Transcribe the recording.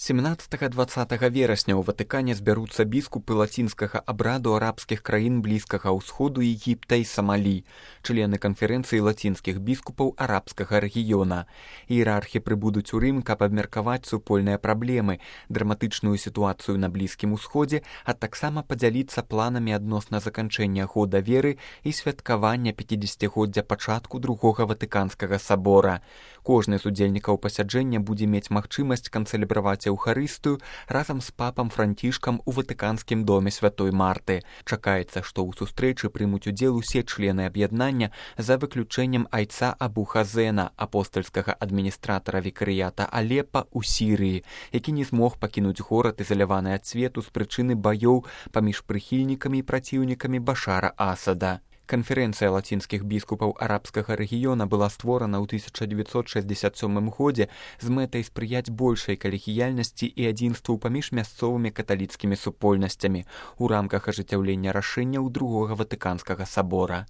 17-20 верасня ў Ватыкане збяруцца біскупы лацінскага абраду арабскіх краін Блізкага ўсходу, Егіпта і Самалі, члены канферэнцыі лацінскіх біскупаў арабскага рэгіёна. Іерархі прыбудуць у Рым, каб абмеркаваць супольныя праблемы, драматычную сітуацыю на Блізкім усходзе, а таксама падзяліцца планамі адносна заканчэння года веры і святкавання 50-годдзя пачатку Другога Ватыканскага сабора. Кожны з удзельнікаў пасяджэння будзе мець магчымасць канцэлебраваць Еўхарыстыю разам з папам Францішкам у Ватыканскім доме Святой Марты. Чакаецца, што ў сустрэчы прымуць удзел усе члены аб'яднання за выключэннем айца Абу Хазена, апостальскага адміністратара викарыята Алепа ў Сірыі, які не змог пакінуць горад, ізаляваны ад свету з прычыны баёў паміж прыхільнікамі і праціўнікамі Башара Асада. Канферэнцыя лацінскіх біскупаў арабскага рэгіёна была створана ў 1967 годзе з мэтай спрыяць большай калегіяльнасці і адзінству паміж мясцовымі каталіцкімі супольнасцямі ў рамках ажыццяўлення рашэнняў Другога Ватыканскага сабора.